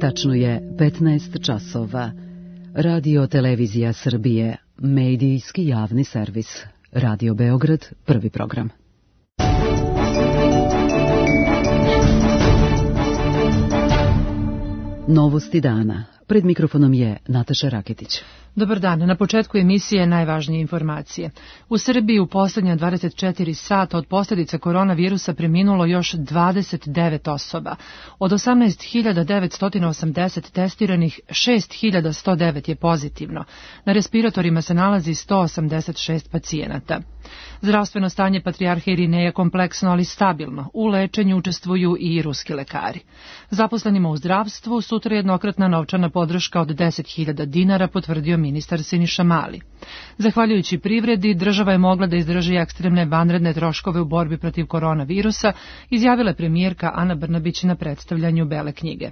Tačno je 15 časova. Radio Televizija Srbije, medijski javni servis. Radio Beograd, prvi program. Novosti dana. Pred mikrofonom je Nataša Raketić. Dobar dan. Na početku emisije najvažnije informacije. U Srbiji u posljednja 24 sata od posljedica koronavirusa preminulo još 29 osoba. Od 18.980 testiranih, 6.109 je pozitivno. Na respiratorima se nalazi 186 pacijenata. Zdravstveno stanje patrijarha Irineja kompleksno, ali stabilno. U lečenju učestvuju i ruski lekari. Zaposlenima u zdravstvu sutra jednokratna novčana podrška od 10.000 dinara, potvrdio ministar Siniša Mali. Zahvaljujući privredi, država je mogla da izdrži ekstremne vanredne troškove u borbi protiv koronavirusa, izjavila je premijerka Ana Brnabić na predstavljanju Bele knjige.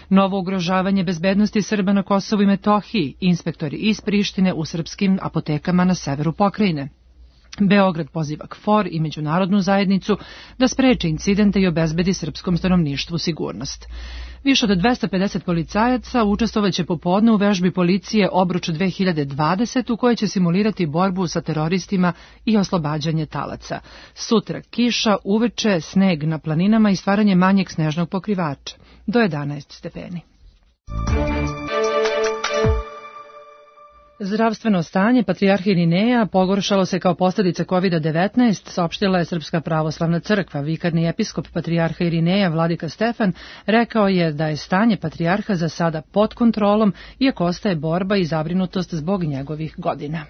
Novo ugrožavanje bezbednosti Srba na Kosovu i Metohiji, inspektori iz Prištine u srpskim apotekama na severu pokrajine. Beograd poziva KFOR i međunarodnu zajednicu da spreči incidente i obezbedi srpskom stanovništvu sigurnost. Više od 250 policajaca učestvovaće popodne u vežbi policije Obruč 2020 u kojoj će simulirati borbu sa teroristima i oslobađanje talaca. Sutra kiša, uveče, sneg na planinama i stvaranje manjeg snežnog pokrivača. Do 11 stepeni. Zdravstveno stanje patrijarha Irineja pogoršalo se kao posljedica COVID-19, saopštila je Srpska pravoslavna crkva. Vikarni episkop patrijarha Irineja, vladika Stefan, rekao je da je stanje patrijarha za sada pod kontrolom, iako ostaje borba i zabrinutost zbog njegovih godina.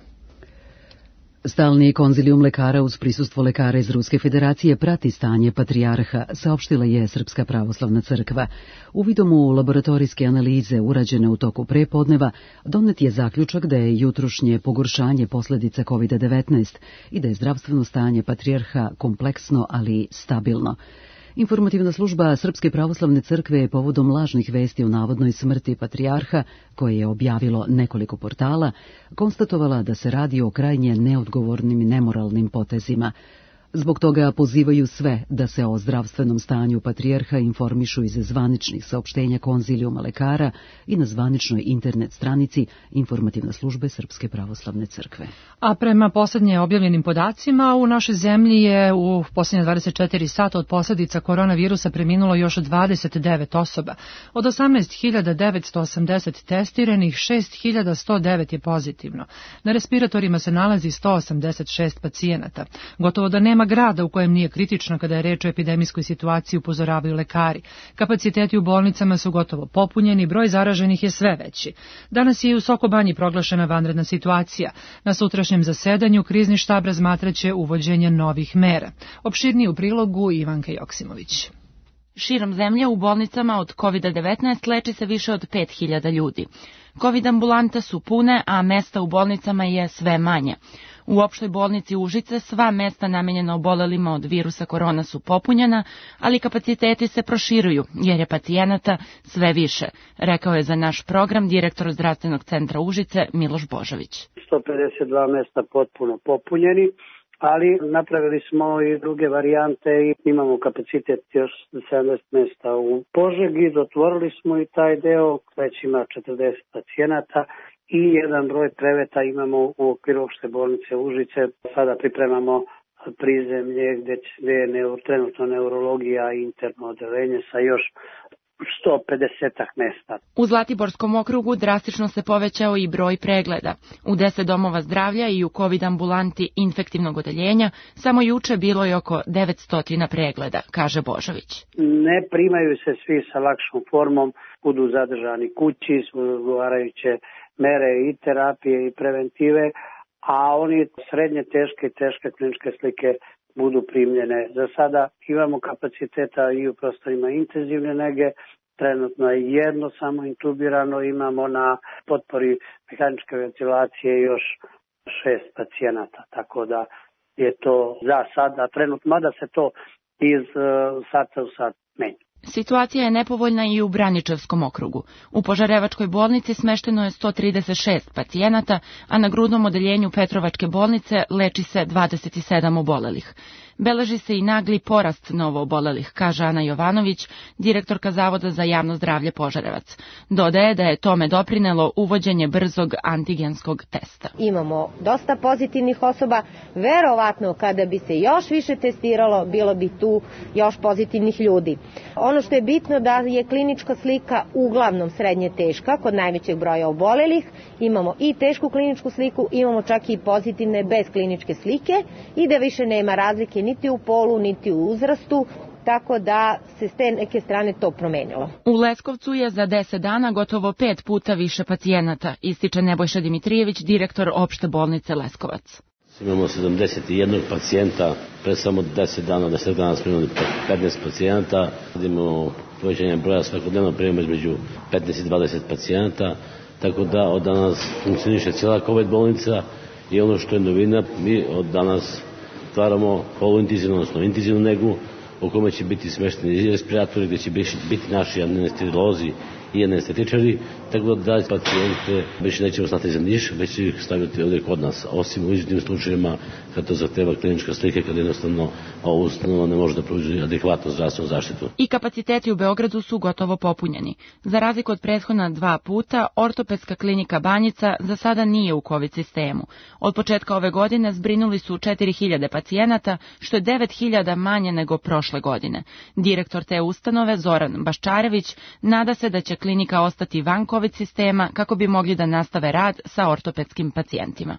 Stalni konzilijum lekara uz prisustvo lekara iz Ruske federacije prati stanje patrijarha, saopštila je Srpska pravoslavna crkva. Uvidom u laboratorijske analize urađene u toku prepodneva, donet je zaključak da je jutrošnje pogoršanje posljedica COVID-19 i da je zdravstveno stanje patrijarha kompleksno, ali stabilno. Informativna služba Srpske pravoslavne crkve je povodom lažnih vesti o navodnoj smrti patrijarha, koje je objavilo nekoliko portala, konstatovala da se radi o krajnje neodgovornim i nemoralnim potezima. Zbog toga pozivaju sve da se o zdravstvenom stanju patrijarha informišu iz zvaničnih saopštenja konzilijuma lekara i na zvaničnoj internet stranici Informativne službe Srpske pravoslavne crkve. A prema posljednje objavljenim podacima, u našoj zemlji je u posljednje 24 sata od posljedica koronavirusa preminulo još 29 osoba. Od 18.980 testiranih, 6.109 je pozitivno. Na respiratorima se nalazi 186 pacijenata. Gotovo da nema grada u kojem nije kritično kada je reč o epidemijskoj situaciji, upozoravaju lekari. Kapaciteti u bolnicama su gotovo popunjeni, broj zaraženih je sve veći. Danas je i u Sokobanji proglašena vanredna situacija. Na sutrašnjem zasedanju krizni štab razmatraće uvođenje novih mera. Opširnije u prilogu Ivanka Joksimović. Širom zemlje u bolnicama od COVID-19 leči se više od 5.000 ljudi. COVID ambulante su pune, a mesta u bolnicama je sve manje. U opštoj bolnici Užice sva mesta namenjena obolelima od virusa korona su popunjena, ali kapaciteti se proširuju jer je pacijenata sve više, rekao je za naš program direktor zdravstvenog centra Užice Miloš Božović. 152 mesta potpuno popunjeni, ali napravili smo i druge varijante i imamo kapacitet još 70 mesta u Požegi, otvorili smo i taj deo, već ima 40 pacijenata. I jedan broj kreveta imamo u okviru opšte bolnice Užice. Sada pripremamo prizemlje gdje je trenutno neurologija i interno odeljenje sa još 150 mesta. U Zlatiborskom okrugu drastično se povećao i broj pregleda. U 10 domova zdravlja i u COVID ambulanti infektivnog odeljenja samo juče bilo je oko 900 pregleda, kaže Božović. Ne primaju se svi sa lakšom formom, budu zadržani kući, su odgovarajuće mere i terapije i preventive, a oni srednje teške i teške kliničke slike budu primljene. Za sada imamo kapaciteta i u prostorima intenzivne nege, trenutno je jedno samo intubirano, imamo na potpori mehaničke ventilacije još 6 pacijenata, tako da je to za sada trenutno, mada se to iz sata u sat menja. Situacija je nepovoljna i u Braničevskom okrugu. U Požarevačkoj bolnici smešteno je 136 pacijenata, a na grudnom odeljenju Petrovačke bolnice leči se 27 obolelih. Beleži se i nagli porast novoobolelih, kaže Ana Jovanović, direktorka Zavoda za javno zdravlje Požarevac. Dodaje da je tome doprinelo uvođenje brzog antigenskog testa. Imamo dosta pozitivnih osoba, verovatno kada bi se još više testiralo, bilo bi tu još pozitivnih ljudi. Ono što je bitno da je klinička slika uglavnom srednje teška, kod najvećeg broja obolelih, imamo i tešku kliničku sliku, imamo čak i pozitivne bez kliničke slike i da više nema razlike niti u polu, niti u uzrastu, tako da se s te neke strane to promenilo. U Leskovcu je za 10 dana gotovo 5 puta više pacijenata, ističe Nebojša Dimitrijević, direktor opšte bolnice Leskovac. Imamo 71 pacijenta, pre samo 10 dana smo imali 15 pacijenata, imamo povećanje broja svakodnevno primamo između 15 i 20 pacijenata, tako da od danas funkcioniše cijela COVID bolnica i ono što je novina, mi od danas stvaramo poluintenzivnu, odnosno intenzivnu negu u kome će biti smešteni i respiratori, gdje će biti naši anestezijolozi i anestetičari, tako da pacijente više nećemo slati za Niš, već će ih staviti ovdje kod nas, osim u izuzetnim slučajevima kad to zahteva klinička slika, kad jednostavno ova ustanova ne može da pruži adekvatnu zdravstvenu zaštitu. I kapaciteti u Beogradu su gotovo popunjeni. Za razliku od prethodna 2 puta, ortopedska klinika Banjica za sada nije u COVID sistemu. Od početka ove godine zbrinuli su 4000 pacijenata, što je 9000 manje nego prošle godine. Direktor te ustanove, Zoran Baščarević, nada se da će klinika ostati van COVID sistema kako bi mogli da nastave rad sa ortopedskim pacijentima.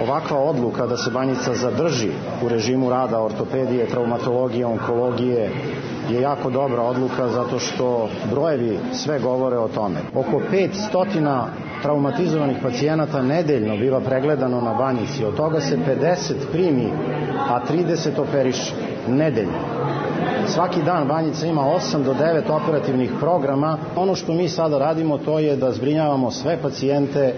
Ovakva odluka da se Banjica zadrži u režimu rada ortopedije, traumatologije, onkologije je jako dobra odluka zato što brojevi sve govore o tome. Oko 500 traumatizovanih pacijenata nedeljno biva pregledano na Banjici, od toga se 50 primi, a 30 operiše nedeljno. Svaki dan Banjica ima 8 do 9 operativnih programa. Ono što mi sada radimo to je da zbrinjavamo sve pacijente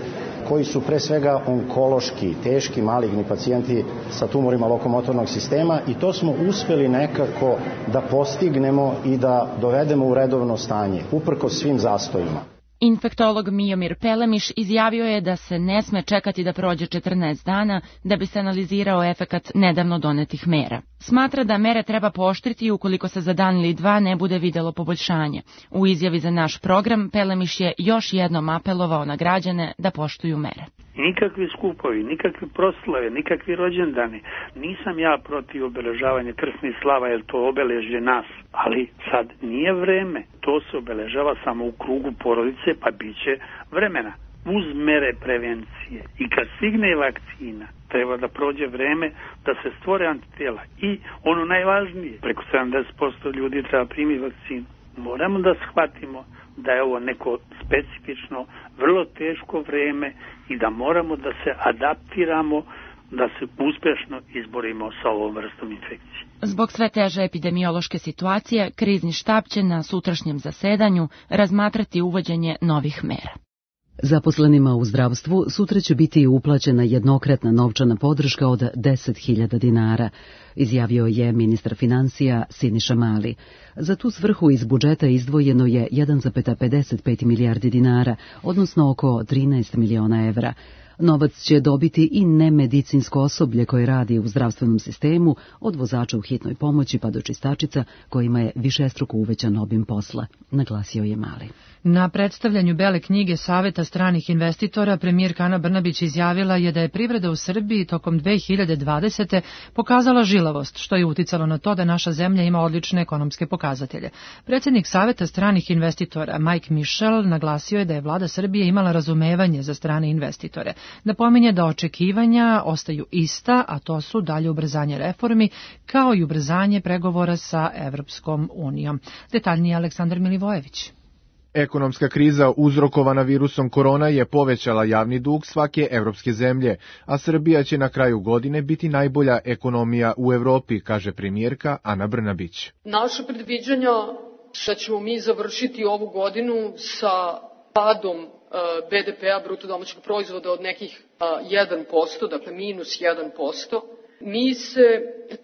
koji su pre svega onkološki, teški, maligni pacijenti sa tumorima lokomotornog sistema i to smo uspeli nekako da postignemo i da dovedemo u redovno stanje, uprkos svim zastojima. Infektolog Mijomir Pelemiš izjavio je da se ne sme čekati da prođe 14 dana da bi se analizirao efekat nedavno donetih mera. Smatra da mere treba pooštriti ukoliko se za dan ili 2 ne bude videlo poboljšanje. U izjavi za naš program Pelemiš je još jednom apelovao na građane da poštuju mere. Nikakvi skupovi, nikakvi proslave, nikakvi rođendani. Nisam ja protiv obeležavanja krsnih slava, jer to obeležje nas. Ali sad nije vreme. To se obeležava samo u krugu porodice, pa bit će vremena. Uz mere prevencije. I kad stigne vakcina, treba da prođe vreme da se stvore antitela. I ono najvažnije, preko 70% ljudi treba primiti vakcinu. Moramo da shvatimo da je ovo neko specifično, vrlo teško vreme i da moramo da se adaptiramo, da se uspješno izborimo sa ovom vrstom infekcije. Zbog sve teže epidemiološke situacije, krizni štab će na sutrašnjem zasedanju razmatrati uvođenje novih mera. Zaposlenima u zdravstvu sutra će biti uplaćena jednokratna novčana podrška od 10.000 dinara, izjavio je ministar financija Siniša Mali. Za tu svrhu iz budžeta izdvojeno je 1,55 milijardi dinara, odnosno oko 13 miliona evra. Novac će dobiti i nemedicinsko osoblje koje radi u zdravstvenom sistemu, od vozača u hitnoj pomoći pa do čistačica kojima je višestruko uvećan obim posla, naglasio je Mali. Na predstavljanju Bele knjige Saveta stranih investitora premijerka Ana Brnabić izjavila je da je privreda u Srbiji tokom 2020. pokazala žilavost, što je uticalo na to da naša zemlja ima odlične ekonomske pokazatelje. Predsjednik Saveta stranih investitora Mike Michel naglasio je da je vlada Srbije imala razumevanje za strane investitore. Napominje da očekivanja ostaju ista, a to su dalje ubrzanje reformi, kao i ubrzanje pregovora sa Evropskom unijom. Detaljnije Aleksandar Milivojević. Ekonomska kriza uzrokovana virusom korona je povećala javni dug svake evropske zemlje, a Srbija će na kraju godine biti najbolja ekonomija u Evropi, kaže premijerka Ana Brnabić. Naše predviđanja da ćemo mi završiti ovu godinu sa padom BDP-a, bruto domaćeg proizvoda od nekih 1%, dakle minus 1%. Mi se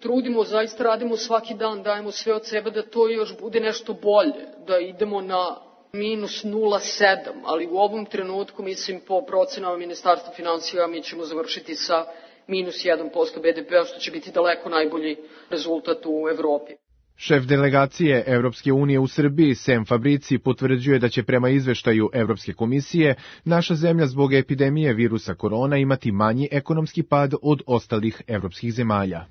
trudimo, zaista radimo svaki dan, dajemo sve od sebe da to još bude nešto bolje, da idemo na minus 0,7, ali u ovom trenutku, mislim, po procenama Ministarstva finansija mi ćemo završiti sa minus 1% BDP-a, što će biti daleko najbolji rezultat u Evropi. Šef delegacije Evropske unije u Srbiji, Sem Fabrici, potvrđuje da će prema izveštaju Evropske komisije naša zemlja zbog epidemije virusa korona imati manji ekonomski pad od ostalih evropskih zemalja.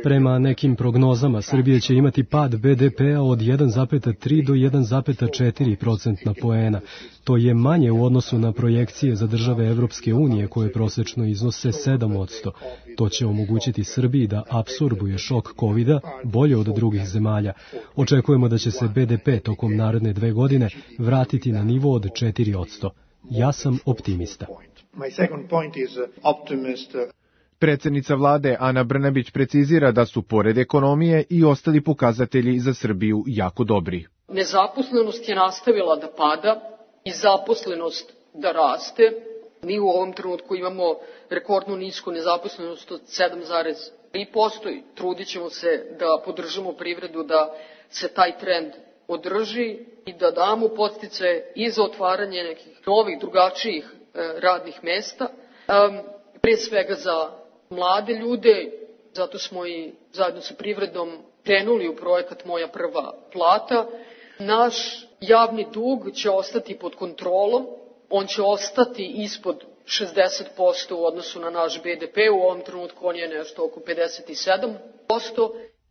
Prema nekim prognozama, Srbija će imati pad BDP-a od 1,3 do 1,4% poena. To je manje u odnosu na projekcije za države Evropske unije koje prosečno iznose 7%. To će omogućiti Srbiji da apsorbuje šok COVID-a bolje od drugih zemalja. Očekujemo da će se BDP tokom naredne 2 godine vratiti na nivo od 4%. Ja sam optimista. Predsednica vlade Ana Brnabić precizira da su pored ekonomije i ostali pokazatelji za Srbiju jako dobri. Nezaposlenost je nastavila da pada i zaposlenost da raste. Mi u ovom trenutku imamo rekordno nisku nezaposlenost od 7,3% i trudit ćemo se da podržimo privredu da se taj trend održi i da damo podsticaje i za otvaranje nekih novih, drugačijih radnih mesta, pre svega za mlade ljude, zato smo i zajedno sa privredom krenuli u projekat Moja prva plata. Naš javni dug će ostati pod kontrolom, on će ostati ispod 60% u odnosu na naš BDP, u ovom trenutku on je nešto oko 57%.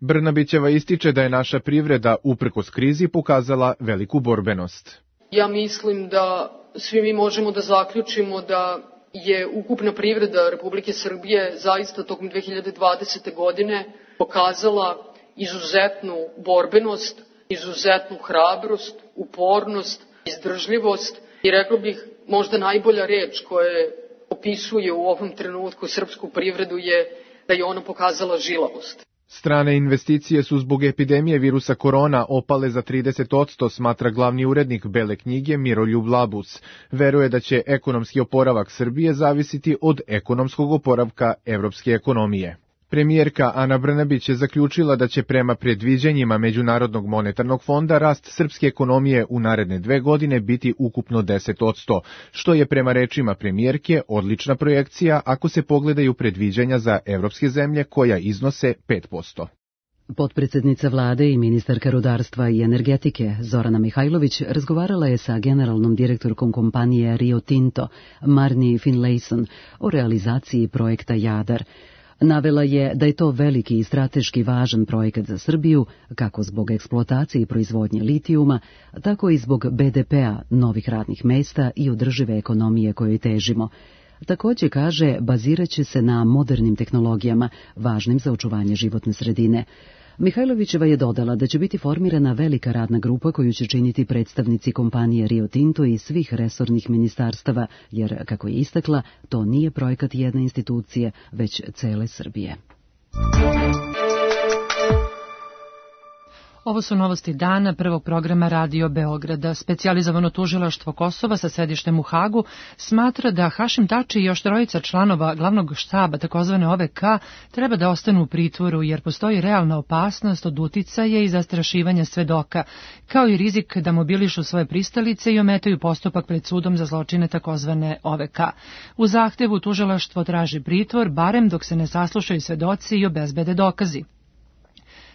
Brnabićeva ističe da je naša privreda uprkos krizi pokazala veliku borbenost. Ja mislim da svi mi možemo da zaključimo da je ukupna privreda Republike Srbije zaista tokom 2020. godine pokazala izuzetnu borbenost, izuzetnu hrabrost, upornost, izdržljivost i rekao bih možda najbolja reč koja opisuje u ovom trenutku srpsku privredu je da je ona pokazala žilavost. Strane investicije su zbog epidemije virusa korona opale za 30%, smatra glavni urednik Bele knjige Miroljub Labus. Veruje da će ekonomski oporavak Srbije zavisiti od ekonomskog oporavka evropske ekonomije. Premijerka Ana Brnabić je zaključila da će prema predviđanjima Međunarodnog monetarnog fonda rast srpske ekonomije u naredne 2 godine biti ukupno 10%, što je prema rečima premijerke odlična projekcija ako se pogledaju predviđanja za evropske zemlje koja iznose 5%. Potpredsednica vlade i ministarka rudarstva i energetike Zorana Mihajlović razgovarala je sa generalnom direktorkom kompanije Rio Tinto, Marni Finlayson, o realizaciji projekta Jadar. Navela je da je to veliki i strateški važan projekat za Srbiju, kako zbog eksploatacije i proizvodnje litijuma, tako i zbog BDP-a, novih radnih mesta i održive ekonomije kojoj težimo. Takođe, kaže, bazirat će se na modernim tehnologijama, važnim za očuvanje životne sredine. Mihajlovićeva je dodala da će biti formirana velika radna grupa koju će činiti predstavnici kompanije Rio Tinto i svih resornih ministarstava, jer, kako je istakla, to nije projekat jedne institucije, već cele Srbije. Ovo su novosti dana prvog programa Radio Beograda. Specijalizovano tužilaštvo Kosova sa sedištem u Hagu smatra da Hašim Tači i još 3 članova glavnog štaba takozvane OVK treba da ostanu u pritvoru jer postoji realna opasnost od uticaja i zastrašivanja svedoka, kao i rizik da mobilišu svoje pristalice i ometaju postupak pred sudom za zločine takozvane OVK. U zahtevu tužilaštvo traži pritvor, barem dok se ne saslušaju svedoci i obezbede dokazi.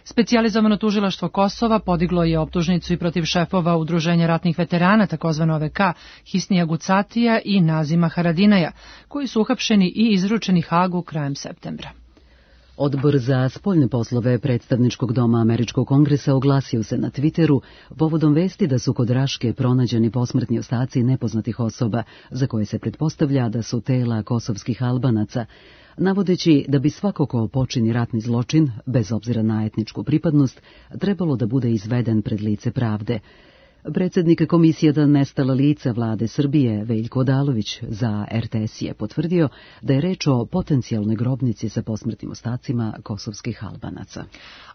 Specijalizovano tužilaštvo Kosova podiglo je optužnicu i protiv šefova Udruženja ratnih veterana, takozvano OVK, Hisnija Gucatija i Nazima Haradinaja, koji su uhapšeni i izručeni Hagu krajem septembra. Odbor za spoljne poslove predstavničkog doma Američkog kongresa oglasio se na Twitteru povodom vesti da su kod Raške pronađeni posmrtni ostaci nepoznatih osoba, za koje se pretpostavlja da su tela kosovskih Albanaca, navodeći da bi svako ko počini ratni zločin, bez obzira na etničku pripadnost, trebalo da bude izveden pred lice pravde. Predsjednik Komisije za nestala lica vlade Srbije, Veljko Odalović, za RTS je potvrdio da je reč o potencijalnoj grobnici sa posmrtnim ostacima kosovskih Albanaca.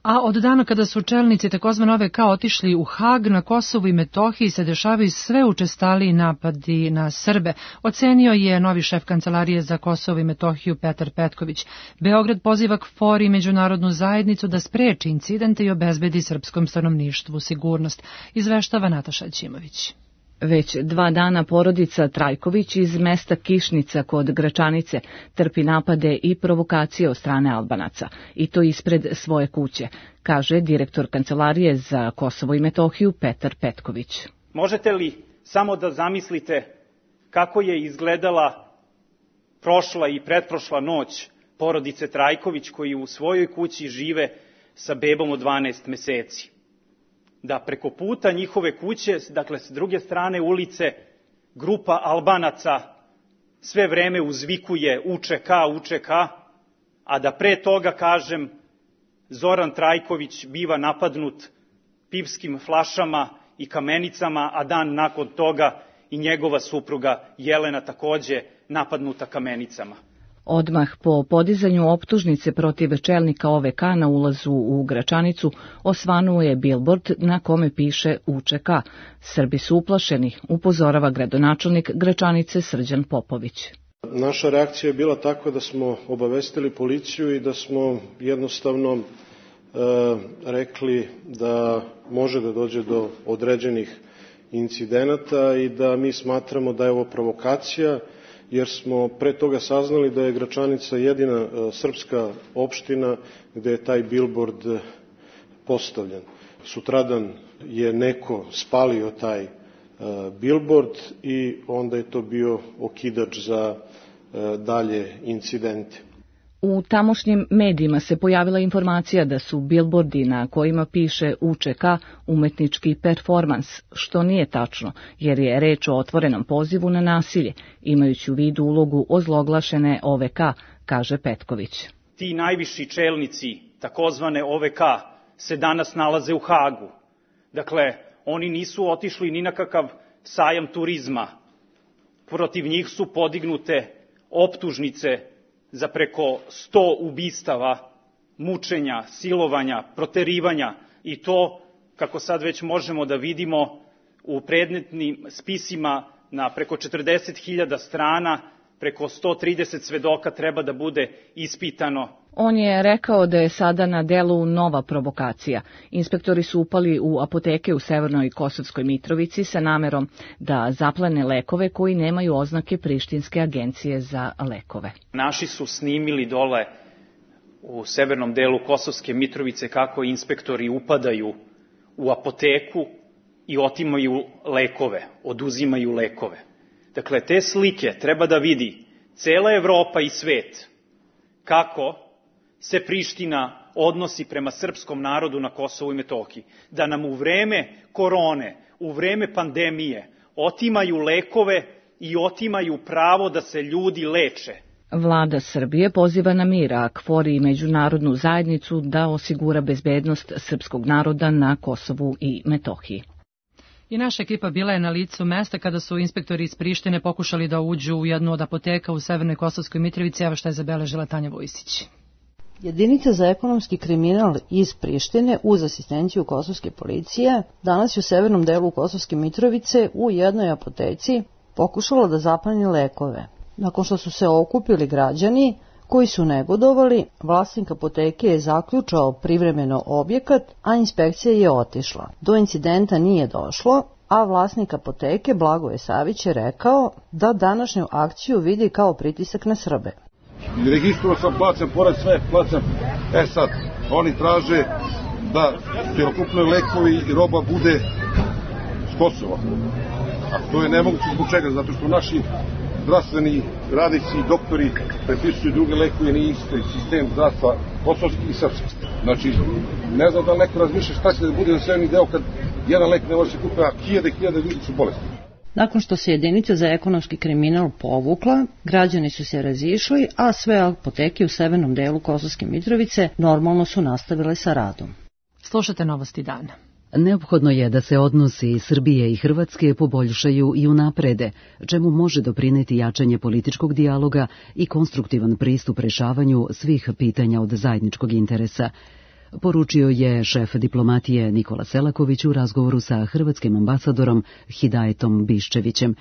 A od dana kada su čelnici takozvane OVK otišli u Hag, na Kosovu i Metohiji se dešavaju sve učestaliji napadi na Srbe, ocenio je novi šef Kancelarije za Kosovo i Metohiju Petar Petković. Beograd poziva KFOR i međunarodnu zajednicu da spreči incidente i obezbedi srpskom stanovništvu sigurnost, izveštava Nataša Ćimović. Već 2 dana porodica Trajković iz mesta Kišnica kod Gračanice trpi napade i provokacije od strane Albanaca, i to ispred svoje kuće, kaže direktor Kancelarije za Kosovo i Metohiju Petar Petković. Možete li samo da zamislite kako je izgledala prošla i pretprošla noć porodice Trajković koji u svojoj kući žive sa bebom od 12 meseci? Da preko puta njihove kuće, dakle s druge strane ulice, grupa Albanaca sve vreme uzvikuje UČK, a da pre toga, kažem, Zoran Trajković biva napadnut pivskim flašama i kamenicama, a dan nakon toga i njegova supruga Jelena takođe napadnuta kamenicama. Odmah po podizanju optužnice protiv čelnika OVK na ulazu u Gračanicu osvanuo je bilbord na kome piše UČK. Srbi su uplašeni, upozorava gradonačelnik Gračanice Srđan Popović. Naša reakcija je bila takva da smo obavestili policiju i da smo jednostavno rekli da može da dođe do određenih incidenata i da mi smatramo da je ovo provokacija, jer smo pre toga saznali da je Gračanica jedina srpska opština gde je taj bilbord postavljen. Sutradan je neko spalio taj bilbord i onda je to bio okidač za dalje incidente. U tamošnjim medijima se pojavila informacija da su bilbordi na kojima piše UČK umetnički performans, što nije tačno, jer je reč o otvorenom pozivu na nasilje, imajući u vidu ulogu ozloglašene OVK, kaže Petković. Ti najviši čelnici takozvane OVK se danas nalaze u Hagu. Dakle, oni nisu otišli ni na kakav sajam turizma. Protiv njih su podignute optužnice za preko 100 ubistava, mučenja, silovanja, proterivanja i to, kako sad već možemo da vidimo, u predmetnim spisima na preko 40.000 strana, preko 130 svedoka treba da bude ispitano. On je rekao da je sada na delu nova provokacija. Inspektori su upali u apoteke u Severnoj Kosovskoj Mitrovici sa namerom da zaplene lekove koji nemaju oznake Prištinske agencije za lekove. Naši su snimili dole u severnom delu Kosovske Mitrovice kako inspektori upadaju u apoteku i otimaju lekove, oduzimaju lekove. Dakle, te slike treba da vidi cela Evropa i svet kako se Priština odnosi prema srpskom narodu na Kosovu i Metohiji. Da nam u vreme korone, u vreme pandemije otimaju lekove i otimaju pravo da se ljudi leče. Vlada Srbije poziva na mir, a KFOR i međunarodnu zajednicu da osigura bezbednost srpskog naroda na Kosovu i Metohiji. I naša ekipa bila je na licu mesta kada su inspektori iz Prištine pokušali da uđu u jednu od apoteka u Severnoj Kosovskoj Mitrovici. Evo šta je zabeležila Tanja Vojsić. Jedinica za ekonomski kriminal iz Prištine uz asistenciju kosovske policije danas je u severnom delu Kosovske Mitrovice u jednoj apoteci pokušala da zapleni lekove. Nakon što su se okupili građani koji su negodovali, vlasnik apoteke je zaključao privremeno objekat, a inspekcija je otišla. Do incidenta nije došlo, a vlasnik apoteke Blagoje Savić je rekao da današnju akciju vidi kao pritisak na Srbe. Registrovao sam, plaćam porez, sve plaćam. Sad, oni traže da cjelokupni lekovi i roba bude s Kosova. A to je nemoguće zbog čega, zato što naši zdravstveni radnici i doktori prepisuju druge lekove, nije isti sistem zdravstva kosovski i srpski. Znači, ne znam da li neko razmišlja šta će da bude za severni deo kad jedan lek ne može se kupiti, a hiljade ljudi su bolesti. Nakon što se jedinica za ekonomski kriminal povukla, građani su se razišli, a sve apoteke u severnom delu Kosovske Mitrovice normalno su nastavile sa radom. Slušate Novosti dana. Neophodno je da se odnosi Srbije i Hrvatske poboljšaju i unaprede, čemu može doprineti jačanje političkog dijaloga i konstruktivan pristup rešavanju svih pitanja od zajedničkog interesa, poručio je šef diplomatije Nikola Selaković u razgovoru sa hrvatskim ambasadorom Hidajetom Biščevićem.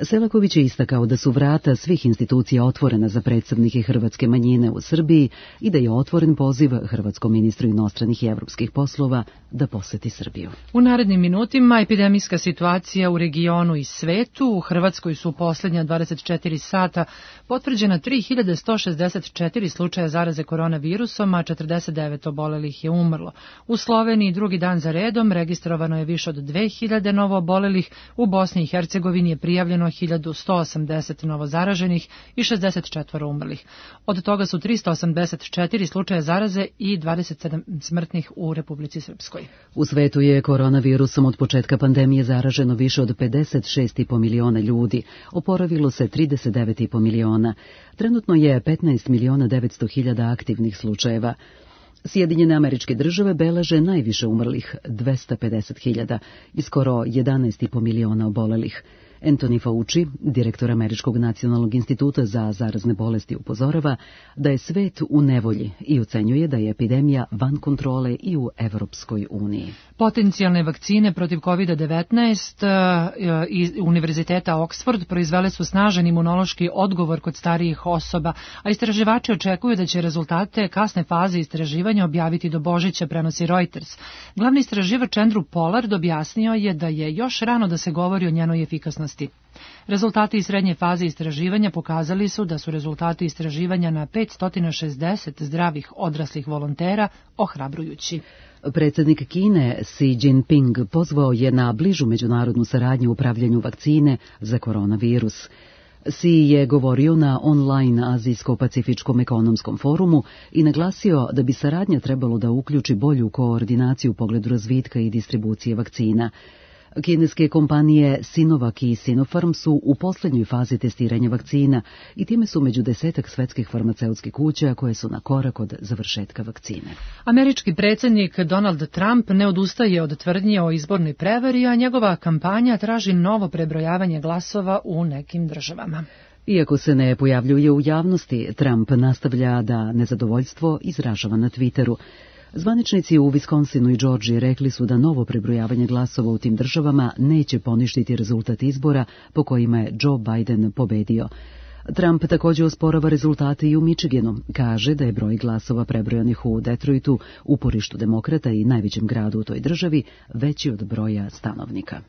Selaković je istakao da su vrata svih institucija otvorena za predstavnike hrvatske manjine u Srbiji i da je otvoren poziv hrvatskom ministru inostranih i evropskih poslova da poseti Srbiju. U narednim minutima epidemijska situacija u regionu i svetu. U Hrvatskoj su u posljednja 24 sata potvrđena 3164 slučaja zaraze koronavirusom, a 49 obolelih je umrlo. U Sloveniji drugi dan za redom registrovano je više od 2000 novo obolelih, u Bosni i Hercegovini je prijavljeno 1180 novozaraženih i 64 umrlih. Od toga su 384 slučaja zaraze i 27 smrtnih u Republici Srpskoj. U svetu je koronavirusom od početka pandemije zaraženo više od 56,5 miliona ljudi, oporavilo se 39,5 miliona. Trenutno je 15.900.000 aktivnih slučajeva. Sjedinjene Američke Države beleže najviše umrlih, 250.000 i skoro 11,5 miliona obolelih. Anthony Fauci, direktor Američkog nacionalnog instituta za zarazne bolesti, upozorava da je svet u nevolji i ocenjuje da je epidemija van kontrole i u Evropskoj uniji. Potencijalne vakcine protiv COVID-19 iz Univerziteta Oxford proizvele su snažan imunološki odgovor kod starijih osoba, a istraživači očekuju da će rezultate kasne faze istraživanja objaviti do Božića, prenosi Reuters. Glavni istraživač Andrew Pollard objasnio je da je još rano da se govori o njenoj efikasnosti. Rezultati iz srednje faze istraživanja pokazali su da su rezultati istraživanja na 560 zdravih odraslih volontera ohrabrujući. Predsjednik Kine Xi Jinping pozvao je na bližu međunarodnu saradnju u upravljanju vakcine za koronavirus. Xi je govorio na online Azijsko-pacifičkom ekonomskom forumu i naglasio da bi saradnja trebalo da uključi bolju koordinaciju u pogledu razvitka i distribucije vakcina. Kineske kompanije Sinovac i Sinopharm su u posljednjoj fazi testiranja vakcina i time su među 10 svetskih farmaceutskih kuća koje su na korak od završetka vakcine. Američki predsjednik Donald Trump ne odustaje od tvrdnje o izbornoj prevari, a njegova kampanja traži novo prebrojavanje glasova u nekim državama. Iako se ne pojavljuje u javnosti, Trump nastavlja da nezadovoljstvo izražava na Twitteru. Zvaničnici u Wisconsinu i Georgiji rekli su da novo prebrojavanje glasova u tim državama neće poništiti rezultat izbora po kojima je Joe Biden pobedio. Trump također osporava rezultate i u Michiganu. Kaže da je broj glasova prebrojanih u Detroitu, uporištu demokrata i najvećem gradu u toj državi, veći od broja stanovnika.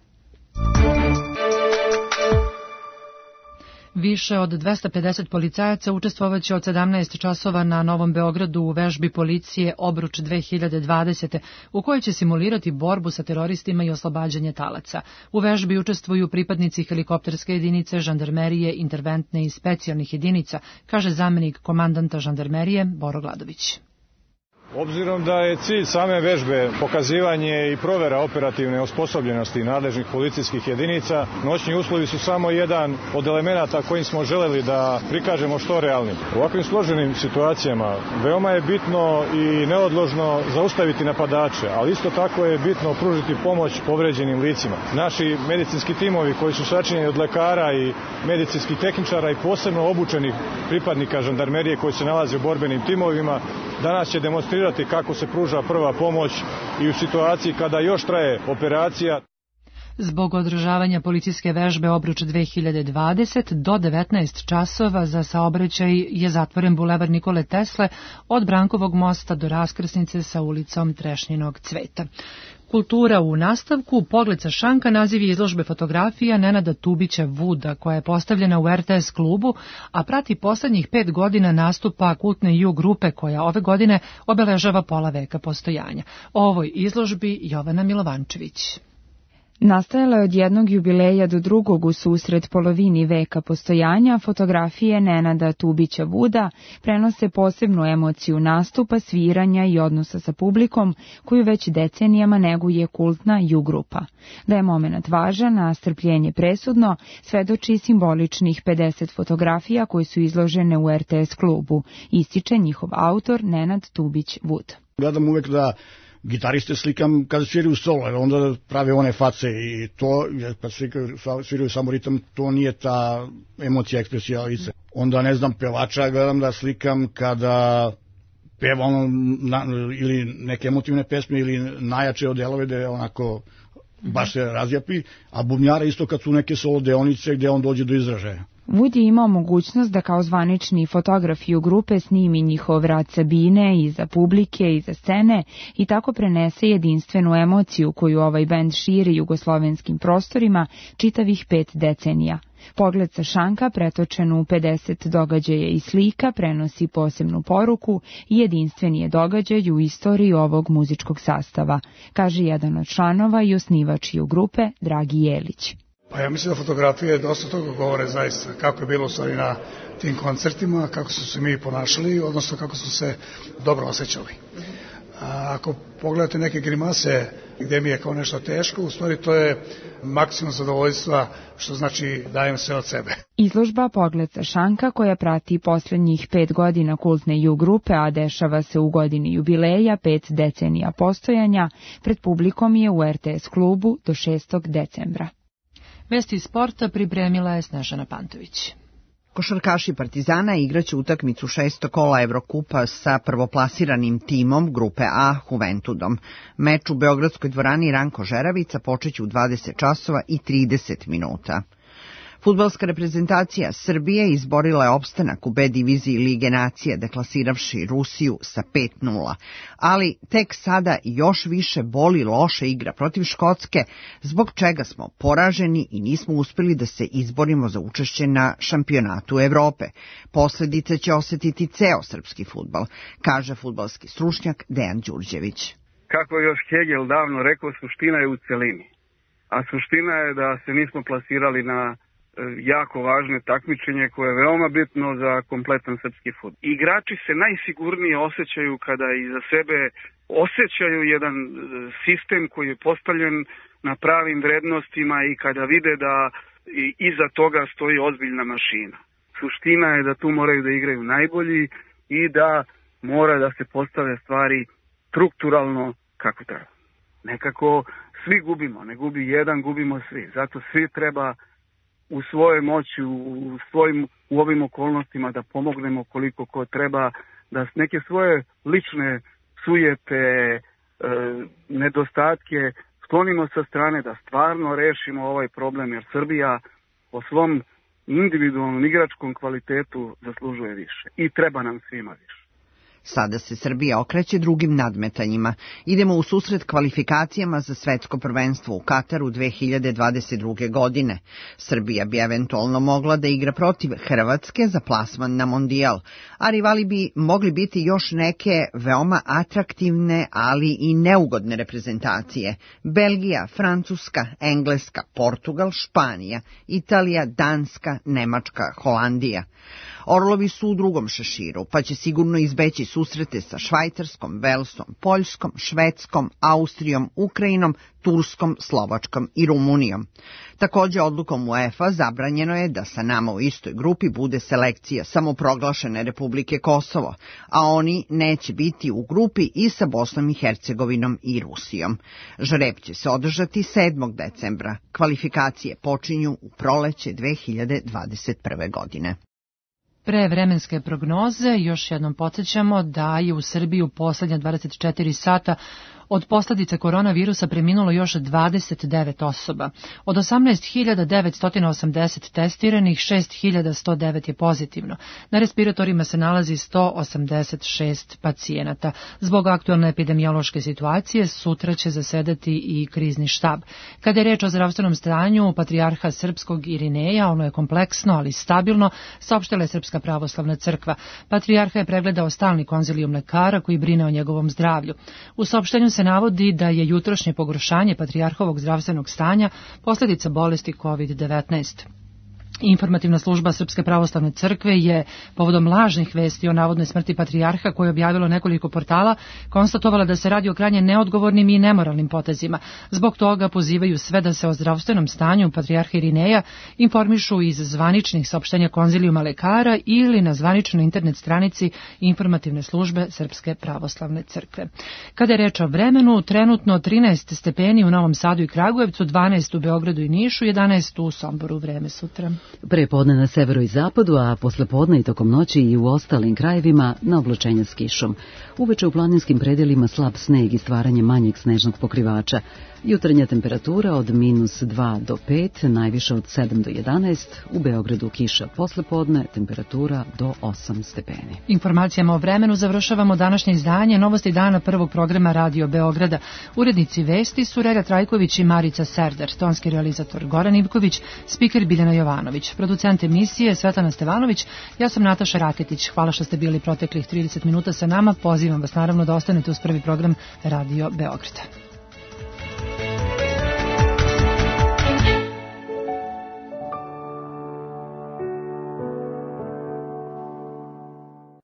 Više od 250 policajaca učestvovaće od 17 časova na Novom Beogradu u vežbi policije Obruč 2020. u kojoj će simulirati borbu sa teroristima i oslobađanje talaca. U vežbi učestvuju pripadnici helikopterske jedinice, žandarmerije, interventne i specijalnih jedinica, kaže zamenik komandanta žandarmerije Boro Gladović. Obzirom da je cilj same vežbe pokazivanje i provera operativne osposobljenosti nadležnih policijskih jedinica, noćni uslovi su samo jedan od elemenata kojim smo želeli da prikažemo što realnim. U ovakvim složenim situacijama veoma je bitno i neodložno zaustaviti napadače, ali isto tako je bitno pružiti pomoć povređenim licima. Naši medicinski timovi koji su sačinjeni od lekara i medicinskih tehničara i posebno obučenih pripadnika žandarmerije koji se nalaze u borbenim timovima, danas će demonstrirati kako se pruža prva pomoć i u situaciji kada još traje operacija. Zbog održavanja policijske vežbe Obruč 2020 do 19 časova za saobraćaj je zatvoren bulevar Nikole Tesle od Brankovog mosta do raskrsnice sa ulicom Trešnjinog cveta. Kultura u nastavku, Pogled sa šanka, naziv je izložbe fotografija Nenada Tubića Vuda, koja je postavljena u RTS klubu, a prati poslednjih 5 godina nastupa kultne ju grupe koja ove godine obeležava pola veka postojanja. O ovoj izložbi Jovana Milovančević. Nastajala je od jednog jubileja do drugog u susret polovini veka postojanja, fotografije Nenada Tubića Vuda prenose posebnu emociju nastupa, sviranja i odnosa sa publikom, koju već decenijama neguje kultna ju-grupa. Da je moment važan, a strpljenje presudno, svedoči simboličnih 50 fotografija koje su izložene u RTS klubu, ističe njihov autor Nenad Tubić Vud. Gledam uvek da gitariste slikam kada sviraju solo, jer onda prave one face i to, kad sviraju samo ritam, to nije ta emocija, ekspresija lice. Onda, ne znam, pevača gledam da slikam kada peva ili neke emotivne pesme ili najjače od delove da je onako baš se razjapi, a bubnjara isto kad su neke solo deonice gde on dođe do izražaja. Wood je imao mogućnost da kao zvanični fotografiju grupe snimi njihov rad sa bine, iza publike, iza scene i tako prenese jedinstvenu emociju koju ovaj bend širi jugoslovenskim prostorima čitavih 5 decenija. Pogled sa šanka, pretočen u 50 događaja i slika, prenosi posebnu poruku i jedinstveni je događaj u istoriji ovog muzičkog sastava, kaže jedan od članova i osnivač ju grupe, Dragi Jelić. Pa ja mislim da fotografije dosta toga govore zaista, kako je bilo u stvari na tim koncertima, kako su se mi ponašali, odnosno kako su se dobro osjećali. Ako pogledate neke grimase gde mi je kao nešto teško, u stvari to je maksimum zadovoljstva, što znači dajem sve od sebe. Izložba Pogled sa šanka, koja prati poslednjih 5 godina kultne ju grupe, a dešava se u godini jubileja 5 decenija postojanja, pred publikom je u RTS klubu do 6. decembra. Vesti sporta pripremila je Snežana Pantović. Košarkaši Partizana igraće utakmicu 6. kola Evrokupa sa prvoplasiranim timom grupe A Juventudom. Meč u Beogradskoj dvorani Ranko Žeravica počeće u 20 časova i 30 minuta. Fudbalska reprezentacija Srbije izborila je opstanak u B diviziji Lige nacija, deklasiravši Rusiju sa 5:0. Ali tek sada još više boli loša igra protiv Škotske, zbog čega smo poraženi i nismo uspeli da se izborimo za učešće na šampionatu Evrope. Posledice će osetiti ceo srpski fudbal, kaže fudbalski stručnjak Dejan Đurđević. Kako je još Hegel davno rekao, suština je u celini. A suština je da se nismo plasirali na jako važno takmičenje koje je veoma bitno za kompletan srpski fudbal. Igrači se najsigurnije osjećaju kada iza sebe osjećaju jedan sistem koji je postavljen na pravim vrednostima i kada vide da iza toga stoji ozbiljna mašina. Suština je da tu moraju da igraju najbolji i da mora da se postave stvari strukturalno kako treba. Nekako svi gubimo, ne gubi jedan, gubimo svi. Zato svi treba u svojoj moći, u ovim okolnostima da pomognemo koliko ko treba, da neke svoje lične sujete, nedostatke sklonimo sa strane, da stvarno rešimo ovaj problem, jer Srbija po svom individualnom igračkom kvalitetu zaslužuje više i treba nam svima više. Sada se Srbija okreće drugim nadmetanjima. Idemo u susret kvalifikacijama za svetsko prvenstvo u Kataru 2022. godine. Srbija bi eventualno mogla da igra protiv Hrvatske za plasman na mondijal, a rivali bi mogli biti još neke veoma atraktivne, ali i neugodne reprezentacije. Belgija, Francuska, Engleska, Portugal, Španija, Italija, Danska, Nemačka, Holandija. Orlovi su u drugom šeširu, pa će sigurno izbeći susrete sa Švajcarskom, Velsom, Poljskom, Švedskom, Austrijom, Ukrajinom, Turskom, Slovačkom i Rumunijom. Takođe, odlukom UEFA zabranjeno je da sa nama u istoj grupi bude selekcija samoproglašene Republike Kosovo, a oni neće biti u grupi i sa Bosnom i Hercegovinom i Rusijom. Žreb će se održati 7. decembra. Kvalifikacije počinju u proleće 2021. godine. Pre vremenske prognoze još jednom podsjećamo da je u Srbiji u poslednja 24 sata od posljedice koronavirusa preminulo još 29 osoba. Od 18.980 testiranih, 6.109 je pozitivno. Na respiratorima se nalazi 186 pacijenata. Zbog aktualne epidemiološke situacije sutra će zasedati i krizni štab. Kada je reč o zdravstvenom stanju patrijarha srpskog Irineja, ono je kompleksno, ali stabilno, saopštila je Srpska pravoslavna crkva. Patrijarha je pregledao stalni konzilijum lekara koji brine o njegovom zdravlju. U saopštenju se navodi da je jutrošnje pogoršanje patrijarhovog zdravstvenog stanja posljedica bolesti COVID-19. Informativna služba Srpske pravoslavne crkve je povodom lažnih vesti o navodnoj smrti patrijarha koje je objavilo nekoliko portala konstatovala da se radi o krajnje neodgovornim i nemoralnim potezima. Zbog toga pozivaju sve da se o zdravstvenom stanju patrijarha Irineja informišu iz zvaničnih saopštenja konzilijuma lekara ili na zvaničnoj internet stranici informativne službe Srpske pravoslavne crkve. Kada je reč o vremenu, trenutno 13 stepeni u Novom Sadu i Kragujevcu, 12 u Beogradu i Nišu, 11 u Somboru. Vreme sutra. Pre podne na severu i zapadu, a posle podne i tokom noći i u ostalim krajevima na oblačenja s kišom. Uveče u planinskim predelima slab sneg i stvaranje manjeg snežnog pokrivača. Jutarnja temperatura od -2 do 5, najviše od 7 do 11, u Beogradu kiša posle podne, temperatura do 8 stepeni. Informacijama o vremenu završavamo današnje izdanje Novosti dana prvog programa Radio Beograda. Urednici vesti su Reda Trajković i Marica Serdar, tonski realizator Goran Ivković, spiker Biljana Jovanović, producent emisije Svetlana Stevanović, ja sam Nataša Raketić. Hvala što ste bili proteklih 30 minuta sa nama, pozivam vas naravno da ostanete uz prvi program Radio Beograda.